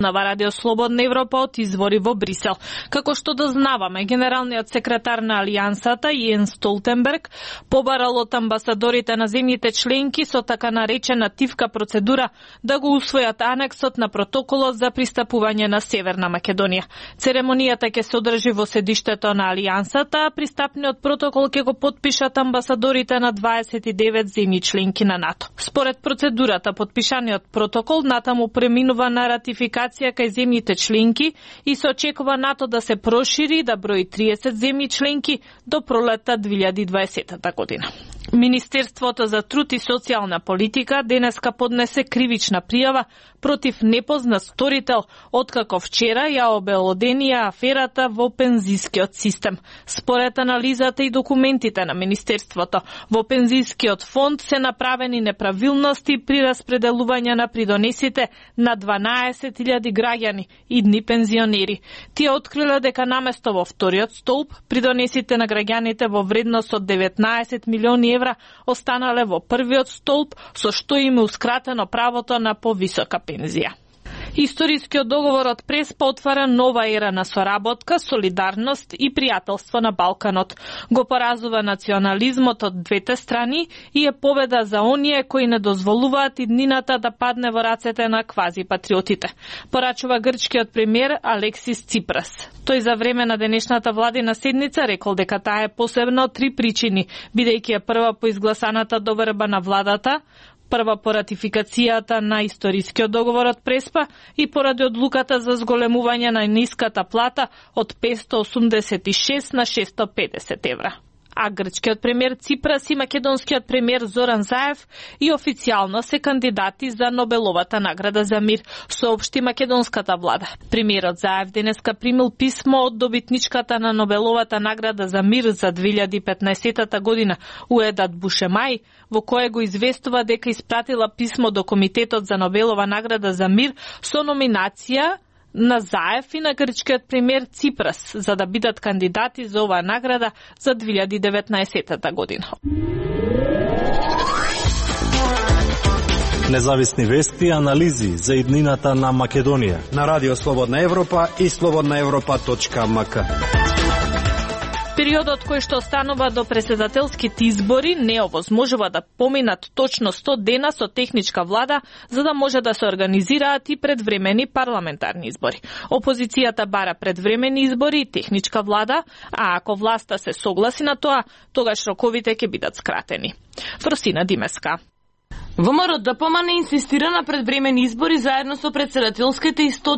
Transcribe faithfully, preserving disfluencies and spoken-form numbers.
На Радио Слободна Европа од извори во Брисел. Како што дознаваме, генералниот секретар на Алијансата Јенс Столтенберг побарал од амбасадорите на земјите членки со така наречена тивка процедура да го усвојат анексот на протоколот за пристапување на Северна Македонија. Церемонијата ќе се одржи во седиштето на Алијансата, а пристапниот протокол ќе го потпишат амбасадорите на дваесет и девет земји членки на НАТО. Според процедурата, потпишаниот протокол натаму преминува на ратификација кај земјите членки и се очекува НАТО да се прошири да брои триесет земји членки до пролетта две илјади и дваесета година. Министерството за труд и социјална политика денеска поднесе кривична пријава против непознат сторител, откако вчера ја обелоденија аферата во пензискиот систем. Според анализата и документите на Министерството, во пензискиот фонд се направени неправилности при распределување на придонесите на дванаесет илјади граѓани, идни пензионери. Тие откриле дека наместо во вториот столб, придонесите на граѓаните во вредност од деветнаесет милиони евра останале во првиот столб, со што им еускратено правото на повисока пензија. Историскиот договор од Преспа отвара нова ера на соработка, солидарност и пријателство на Балканот. Го поразува национализмот од двете страни и е победа за оние кои не дозволуваат иднината да падне во рацете на квази-патриотите. Порачува грчкиот премиер Алексис Ципрас. Тој за време на денешната владина седница рекол дека таа е посебна од три причини, бидејќи е прва по изгласаната доверба на владата, прва по ратификацијата на историскиот договор од Преспа и поради одлуката за зголемување на ниската плата од петстотини осумдесет и шест на шестстотини и педесет евра. А грчкиот премиер Ципрас и македонскиот премиер Зоран Заев и официјално се кандидати за Нобеловата награда за мир, соопшти македонската влада. Премиерот Заев денеска примил писмо од добитничката на Нобеловата награда за мир за две илјади и петнаесета година, Уедат Бушемај, во кое го известува дека испратила писмо до Комитетот за Нобелова награда за мир со номинација на Заев и на грчкиот премиер Ципрас за да бидат кандидати за оваа награда за две илјади и деветнаесета година. Независни вести и анализи за иднината на Македонија на Радио Слободна Европа и слободна европа точка ем ка. Периодот кој што останува до претседателските избори не овозможува да поминат точно сто дена со техничка влада за да може да се организираат и предвремени парламентарни избори. Опозицијата бара предвремени избори и техничка влада, а ако власта се согласи на тоа, тогаш роковите ќе бидат скратени. Фросина Димеска. ВМРО ДПМН инсистира на предвремени избори заедно со претседателските и сто